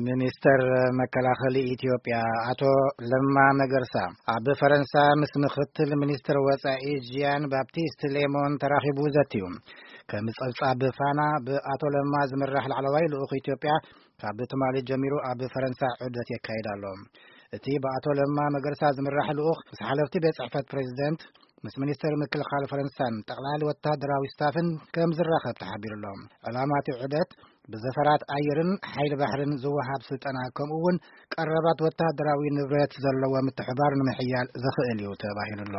ሚኒስተር መከላኸሊ ኢትዮጵያ ኣቶ ለማ መገርሳ ኣብ ፈረንሳ ምስ ምኽትል ሚኒስትር ወጻኢ ጂያን ባፕቲስት ሌሞን ተራኺቡ ዘትዩ። ከም ጸብጻብ ፋና፣ ብኣቶ ለማ ዝምራሕ ላዕለዋይ ልኡኽ ኢትዮጵያ ካብ ትማሊ ጀሚሩ ኣብ ፈረንሳ ዑደት የካይድ ኣሎ። እቲ ብኣቶ ለማ መገርሳ ዝምራሕ ልኡኽ ምስ ሓለፍቲ ቤት ጽሕፈት ፕሬዚደንት፣ ምስ ሚኒስተር ምክልኻል ፈረንሳን ጠቕላሊ ወተሃደራዊ ስታፍን ከም ዝራኸብ ተሓቢሩ ኣሎ። ዕላማ እቲ ዑደት ብዘፈራት ኣየርን ሓይሊ ባሕርን ዝወሃብ ስልጠና፣ ከምኡ እውን ቀረባት ወተሃደራዊ ንብረት ዘለዎ ምትሕባር ንምሕያል ዘኽእል እዩ ተባሂሉ ኣሎ።